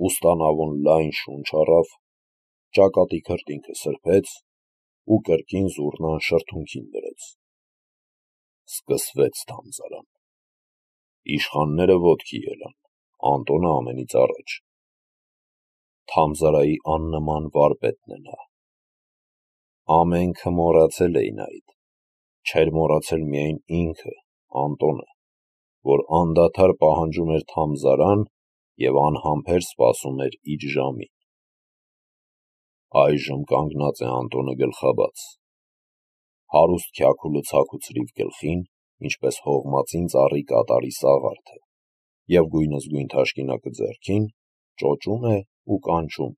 ուստանավոն լայն շունչ առավ, ճակատի քրտինքը սրբեց ու կրկին զուռնան շրթունքին դրեց։ Սկսվեց թամզարան։ Իշխանները ոտքի ելան, Անտոնը ամենից առաջ։ Թամզարայի աննման վարպետն է նա։ Ամենքը մոռացել էին այդ, չէր մոռացել միայն ինքը, Անտոնը, որ անդադար պահանջում էր թամզարան և անհամբեր սպասում էր իր ժամին։ Այժմ կանգնած է Անտոնը գլխաբաց։ Հարուստ քյաքուլը ցաքուցրիվ գլխին, ինչպես հողմածին ծառի կատարի սաղարթը, և գույնզգույն թաշկինակը ձեռքին, ճոճում է ու կանչում.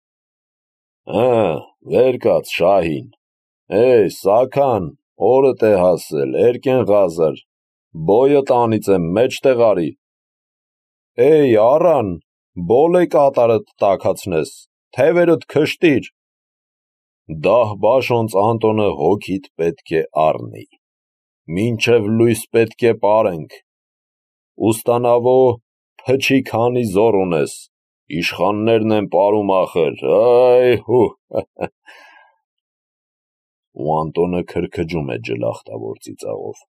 վեր կաց, Շահին, Սաքան, օրդ է հասել, Էրկեն Ղազար, բոյը տանիցեմ, մեջտեղ արի, առան, բոլ է կատարդ տաքացնես, թևերդ քշտիր, դահ-բաշոնց Անտոնը հոգիդ պետք է առնի, մինչև լույս պետք է պարենք, ուստանավո փչի քանի զոռ ունես, իշխաններն են պարում ախր, ու Անտոնը քրքջում է ջլախտավոր ծիծաղով։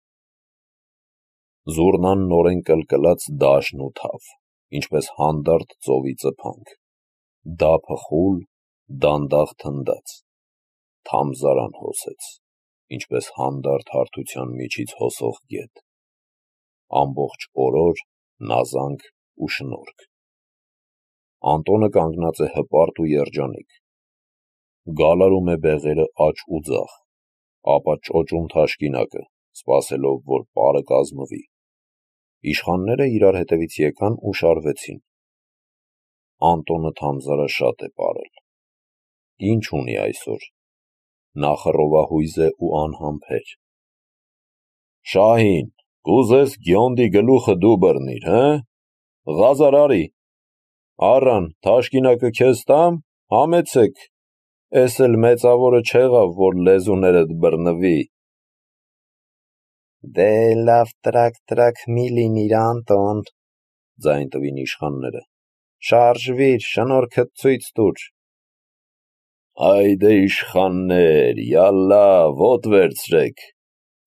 Զուռնան նորեն կլկլաց դաշն ու թավ, ինչպես հանդարտ ծովի ծփանք, դափը խուլ, դանդաղ թնդաց, թամզարան հոսեց, ինչպես հանդարտ հարթության միջից հոսող գետ, ամբողջ օրոր, նազանք ու շնորհք։ Անտոնը կանգնած է հպարտ ու երջանիկ, գալարում է բեղերը աջ ու ձախ, ապա ճոճում թաշկինակը, սպասելով, որ պարը կազմվի։ Իշխանները իրար հետևից եկան ու շարվեցին։ Անտոնը թամզարը շատ է պարել։ Ինչ ունի այսօր, նա խռովահույզ է ու անհամբեր։ Շահին, կուզես գյոնդի գլուխը դու բռնիր, Ղազար արի, առան, թաշկինակը քեզ տամ, համեցեք, էս էլ մեծավորը չեղավ, որ լեզուներդ բռնվի։ Դե լավ տրակ մի լինիր, Անտոն, ձայն տվին իշխանները, շարժվիր, շնորհքդ ցույց տուր։ Այդե իշխաններ, յալլա, ոտ վերցրեք,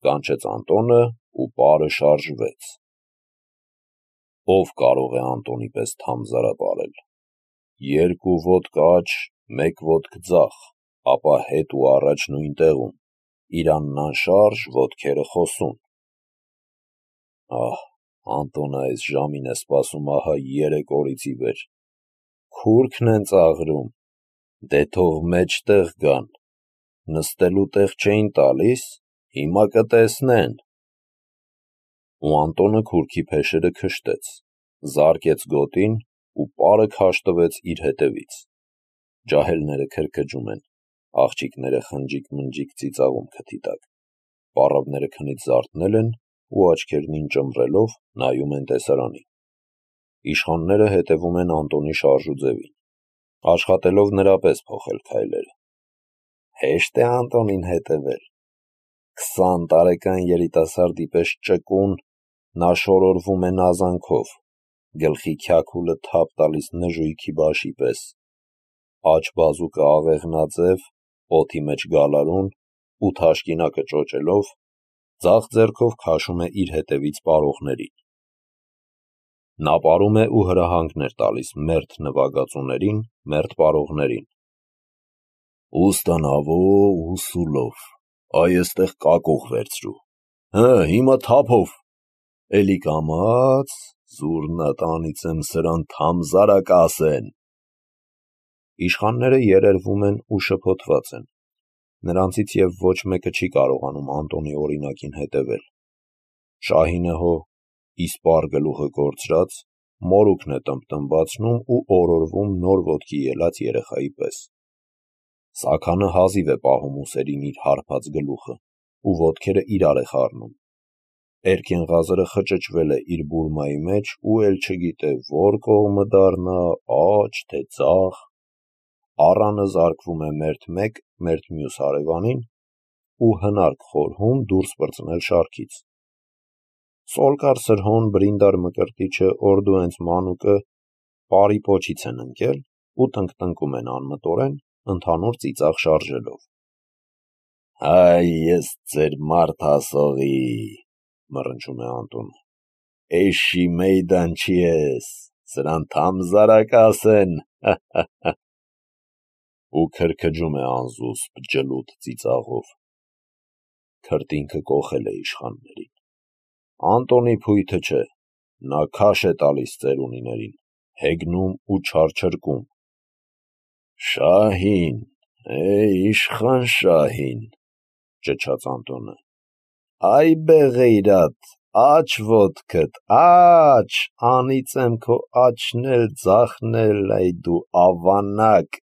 կանչեց Անտոնը ու պարը շարժվեց։ Ով կարող է Անտոնի պես թամզարա պարել։ Երկու ոտք աջ, մեկ ոտք ձախ, ապա հետ ու առաջ նույն տեղում, իրանն անշարժ, ոտքերը խոսուն։ Անտոնը այս ժամին է սպասում ահա 3 օրից ի վեր։ Քուրքն են ծաղրում, դե թող մեջտեղ գան, նստելու տեղ չէին տալիս, հիմա կտեսնեն։ Ու Անտոնը քուրքի փեշերը քշտեց, զարկեց գոտին ու պարը քաշտվեց իր հետևից։ Ջահելները քրքջում են, աղջիկները խնջիկ-մնջիկ ծիծաղում քթի տակ, պառավները քնից զարթնել են ու աչքերնին ճմռելով նայում են տեսարանին։ Իշխանները հետևում են Անտոնի շարժուձևին, աշխատելով նրա պես փոխել քայլերը։ Հեշտ է Անտոնին հետևել։ 20 տարեկան երիտասարդի պես ճկուն, նա շորորվում է նազանքով, գլխի քյաքուլը թափ տալիս նժույգի բաշի պես, աջ բազուկը աղեղնաձև, օդի մեջ գալարուն ու թաշկինակը ճոճելով, ձախ ձեռքով քաշում է իր հետևից պարողներին։ Նա պարում է ու հրահանգներ տալիս մերթ նվագածուներին, մերթ պարողներին։ Ուստանավո ու սուլով, այստեղ կակող վերցրու, հիմա թափով, էլի կամաց, զուռնա տանիցեմ սրան թամզարա կասեն։ Իշխանները երերվում են ու շփոթված են, նրանցից և ոչ մեկը չի կարողանում Անտոնի օրինակին հետևել։ Շահինը հո, իսպառ գլուխը կորցրած, մորուքն է տնբտնբացնում ու օրորվում նոր ոտքի ելած երեխայի պես։ Սաքանը հազիվ է պահում ուսերին իր հարբած գլուխը ու ոտքերը իրար է խառնում։ Էրկեն Ղազարը խճճվել է իր բուրմայի մեջ ու էլ չգիտե որ կողմը դառնա, աջ թե ձախ։ Առանը զարկվում է մերթ մեկ, մերթ մյուս հարևանին ու հնարք խորհում դուրս պրծնել շարքից։ Սոլկար սրհոն բրինդար մկրտիչը օրդու հենց մանուկը պարի պոչից են ընկել ու տնկտնկում են անմտորեն, ընդհանուր ծիծաղ շարժելով։ «Հայ, ես ձեր մարդ հասողի», մռնչում է Անտոնը, «էշի մեյդան չի ես, սրան թամզարակաս են», ու քրքջում է անզուսպ ջլուտ ծիծաղով։ Քրտինքը կոխել է իշխաններին։ Անտոնի փույթը չէ, նա քաշ է տալիս ծերունիներին, հեգնում ու չարչրկում։ «Շահին, իշխան Շահին», ճչաց Անտոնը, «այ բեղեյրատ, աչ ոտքդ, աչ, անիծեմ քո աչն էլ ձախն էլ, այ դու ավանակ»։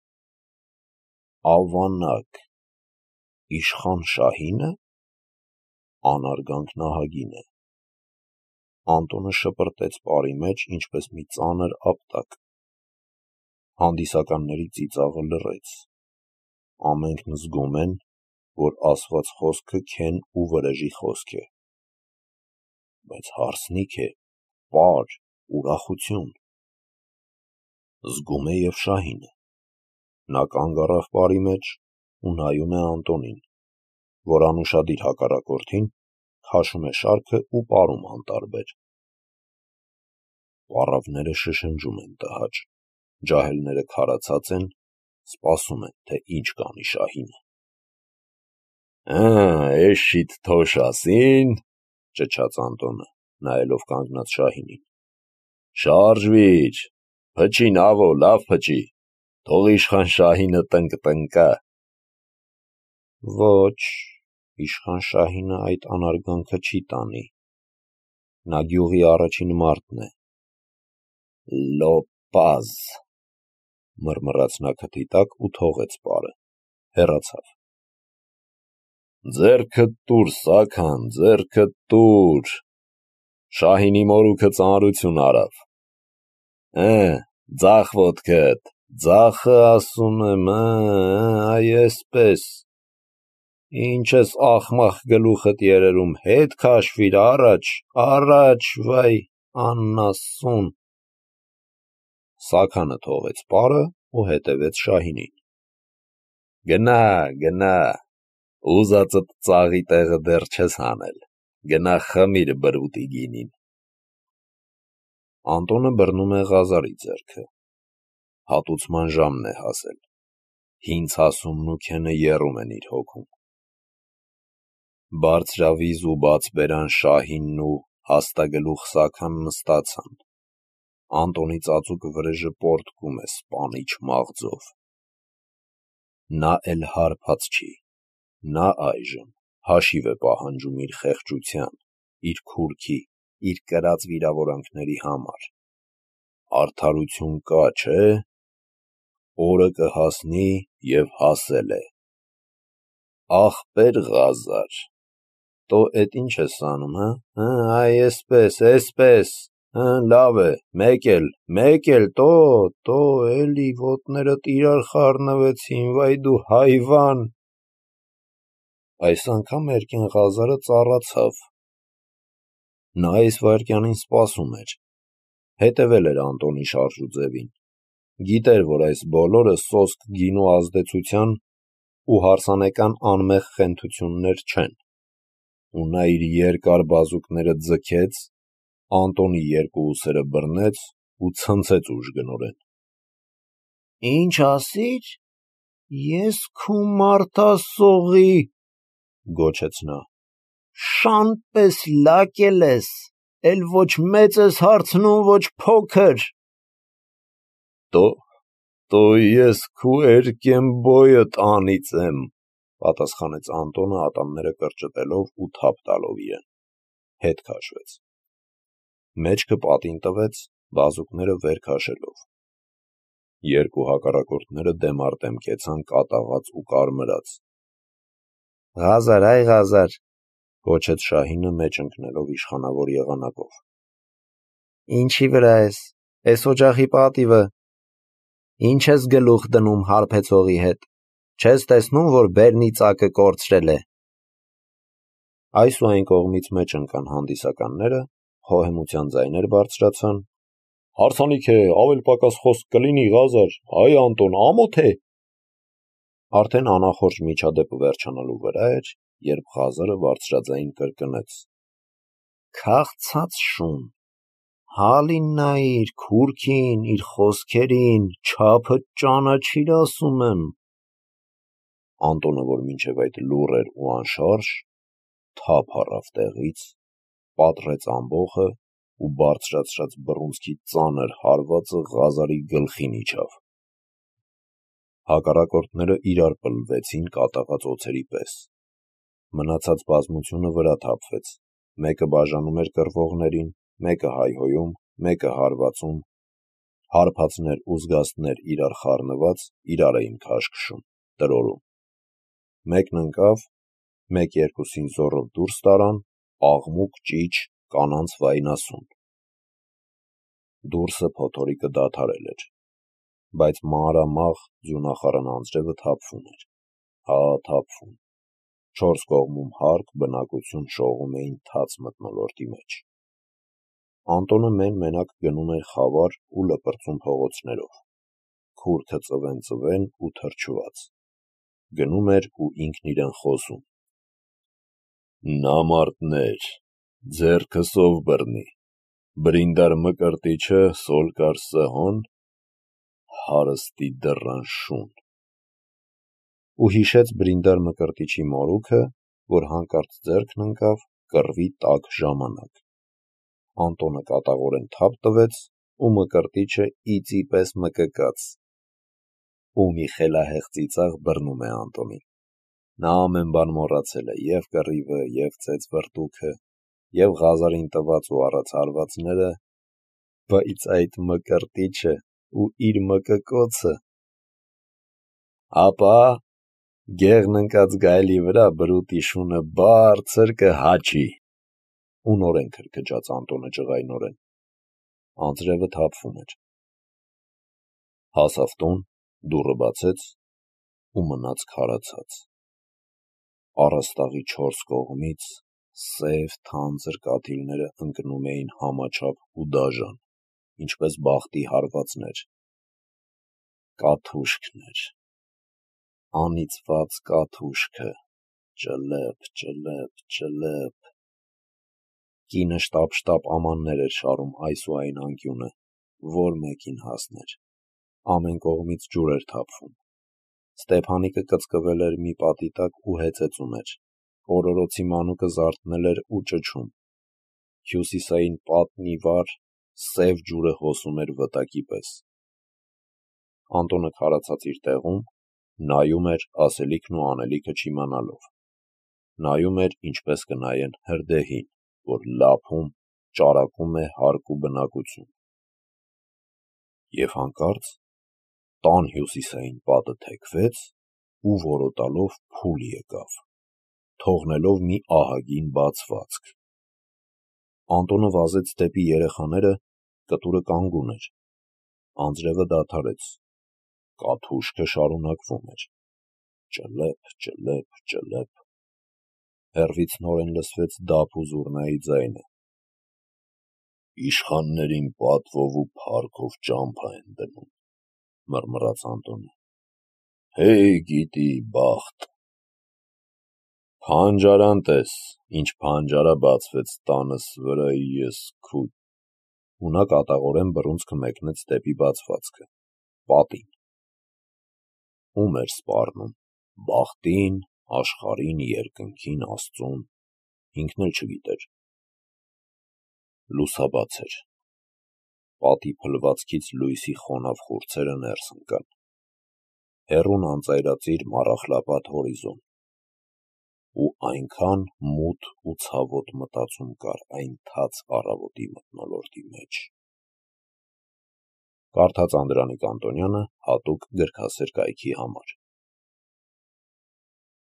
Ավանակ, իշխան Շահի՞նը։ Անարգանքն ահագին է։ Անտոնը շպրտեց պարի մեջ, ինչպես մի ծանր ապտակ։ Հանդիսականների ծիծաղը լռեց։ Ամենքն զգում են, որ ասված խոսքը քեն ու վրեժի խոսք է։ Բայց հարսնիք է, պար, ուրախություն։ Զգում է և Շահինը։ Նա կանգ առավ պարի մեջ ու նայում է Անտոնին, որ անուշադիր հակառակորդին քաշում է շարքը ու պարում անտարբեր։ Պառավները շշնջում են տհաճ, ջահելները քարացած են, սպասում են, թե ինչ կանի Շահինը։ «Էշիդ թոշ ասին», ճչաց Անտոնը, նայելով կանգնած Շահինին, «շարժվիր, փչին ավո, լավ փչի, թող իշխան Շահինը տնկտնկա»։ Ոչ, իշխան Շահինը այդ անարգանքը չի տանի։ Նա գյուղի առաջին մարդն է։ «Լոպազ», մռմռաց նա քթի տակ ու թողեց պարը, հեռացավ։ «Ձեռքդ տուր, Սաքան, ձեռքդ տուր, Շահինի մորուքը ծանրություն արավ։ Ձախ ոտքդ, ձախը ասում եմ, այ էսպես։ Ինչ ես ախմախ գլուխդ երերում, հետ քաշվիր, առաջ, առաջ, վայ, անասուն։ Սաքանը թողեց պարը ու հետևեց Շահինին։ Գնա, գնա, ուզածդ ծաղի տեղը դեռ չես հանել, գնա խմիր բրուտի գինին։ Անտոնը բռնում է Ղազարի ձեռքը։ Հատուցման ժամն է հասել։ Հին ցասումն ու քենը եռում են իր հոգում։ Բարձրավիզ ու բացբերան Շահինն ու հաստագլուխ Սաքան նստացան։ Անտոնի ծածուկ վրեժը պոռթկում է սպանիչ մաղձով։ Նա էլ հարբած չի, նա այժմ հաշիվ է պահանջում իր խեղճության, իր քուրքի, իր կրած վիրավորանքների համար։ Արդարություն կա, չէ՞։ Օրը կհասնի և հասել է։ Ախպեր Ղազար, տո էդ ինչ ես անում, այ էսպես, լավ է, մեկ էլ, տո, էլի ոտներդ իրար խառնվեցին, վայ դու հայվան։ Այս անգամ Էրկեն Ղազարը ծառացավ։ Նա այս վայրկյանին սպասում էր, հետևել էր Անտոնի շարժուձևին, գիտեր, որ այս բոլորը սոսկ գինու ազդեցության ու հարսանեկան անմեղ խենթություններ չեն, ու նա իր երկար բազուկները ձգեց, Անտոնի երկու ուսերը բռնեց ու ցնցեց ուժգնորեն։ Ինչ ասիր, ես քու մարդ ասողի, գոչեց նա, շան պես լակել ես, էլ ոչ մեծ ես հարցնում, ոչ փոքր։ Տո ես քու Էրկեն բոյդ անիծեմ, պատասխանեց Անտոնը ատամները կրճտելով ու թափ տալով իրեն, հետ քաշվեց։ Մեջքը պատին տվեց, բազուկները վեր քաշելով։ Երկու հակառակորդները դեմ առ դեմ կեցան կատաղած ու կարմրած։ Ղազար, այ Ղազար, գոչեց Շահինը մեջ ընկնելով իշխանավոր եղանակով։ Ինչի վրա ես, էս օջախի պատիվը։ Ինչ ես գլուխ դնում հարբեցողի հետ, չես տեսնում, որ բերնի ծակը կորցրել է։ Այս ու այն կողմից մեջ ընկան հանդիսականները, խոհեմության ձայներ բարձրացան, Հարսանիք է, ավել պակաս խոսք կլինի, Ղազար, այ Անտոն, ամոթ է։ Արդեն անախորժ միջադեպը վերջանալու վրա էր, երբ Ղազարը բարձրաձայն կրկնեց. «Քաղցած շուն, հալին նայիր, քուրքին, իր խոսքերին, չափը ճանաչիր, ասում եմ»։ Անտոնը, որ մինչև այդ լուռ էր ու անշարժ, թափ առավ տեղից, պատռեց ամբոխը ու բարձրացրած բռունցքի ծանր հարվածը Ղազարի գլխին իջավ։ Հակառակորդները իրար պլվեցին կատաղած օձերի պես։ Մնացած բազմությունը վրա թափվեց, մեկը բաժանում էր կռվողներին, մեկը հայհոյում, մեկը հարվածում, հարբածներ ու զգաստներ իրար խառնված իրար էին քաշքշում, տրորում։ Մեկն ընկավ, մեկ-երկուսին զոռով դուրս տարան, աղմուկ ճիչ կանանց վայնասուն։ Դուրսը փոթորիկը դադարել էր, բայց մանրամաղ ձյունախառն անձրևը թափվում էր, թափվում։ Չորս կողմում հարկ բնակություն շողում էին թաց մթնոլորտի մեջ։ Անտոնը մեն-մենակ գնում էր խավար ու լպրծուն փողոցներով, քուրքը ծվեն ու թրջված։ Գնում էր ու ինքն իրեն խոսում. «Նամարտներ, ձեռքը սով բռնի, բրինդար մկրտիչը սոլկար սհոն, հարստի դռան շուն»։ Ու հիշեց բրինդար մկրտիչի մորուքը, որ հանկարծ ձեռքն ընկավ կռվի տաք ժամանակ։ Անտոնը կատաղորեն թափ տվեց ու մկրտիչը իծի պես մկկաց։ Ու մի խելահեղ ծիծաղ բռնում է Անտոնին։ Նա ամեն բան մոռացել է, և կռիվը, և ծեծ վրդուքը, և Ղազարին տված ու առած հարվածները, բայց այդ մկրտիչը ու իր մկկոցը… Ապա գեղն ընկած գայլի վրա բրուտի շունը բարձր կհաչի, ու նորեն քրքջաց Անտոնը ջղայնորեն։ Անձրևը թափվում էր։ Հասավ տուն, դուռը բացեց ու մնաց քարացած։ Առաստաղի չորս կողմից սև թանձր կաթիլները ընկնում էին համաչափ ու դաժան, ինչպես բախտի հարվածներ։ Կաթուշքն էր, անիծված կաթուշքը, ճլըփ։ Կինը շտապ ամաններ էր շարում այս ու այն անկյունը, որ մեկին հասներ։ Ամեն կողմից ջուր էր թափվում։ Ստեփանիկը կծկվել էր մի պատի տակ ու հեծեծում էր։ Օրորոցի մանուկը զարթնել էր ու ճչում։ Հյուսիսային պատն ի վար սև ջուրը հոսում էր վտակի պես։ Անտոնը քարացած իր տեղում նայում էր ասելիքն ու անելիքը չիմանալով։ Նայում էր, ինչպես կնայեն հրդեհին, որ լափում, ճարակում է հարկ ու բնակություն։ Եվ հանկարծ տան հյուսիսային պատը թեքվեց ու որոտալով փուլ եկավ, թողնելով մի ահագին բացվածք։ Անտոնը վազեց դեպի երեխաները, կտուրը կանգուն էր։ Անձրևը դադարեց, կաթուշքը շարունակվում էր. ճլըփ։ Հեռվից նորեն լսվեց դափ ու զուռնայի ձայնը։ «Իշխաններին պատվով ու փառքով ճամփա են դնում», մռմռաց Անտոնը։ «Հեյ գիտի բախտ»։ «Փանջարան տես, ինչ փանջարա բացվեց տանս վրա ես քու…» Ու նա կատաղորեն բռունցքը մեկնեց դեպի բացվածքը, պատին։ Ում էր սպառնում, բախտին, աշխարհին, երկնքին, Աստծուն, ինքն էլ չգիտեր։ Լուսաբաց էր։ Պատի փլվածքից լույսի խոնավ խուրձերը ներս ընկան։ Հեռուն անծայրածիր մառախլապատ հորիզոն։ Ու այնքան մութ ու ցավոտ մտածում կար այն թաց առավոտի մթնոլորտի մեջ։ Կարդաց Անդրանիկ Անտոնյանը հատուկ գրքասեր կայքի համար։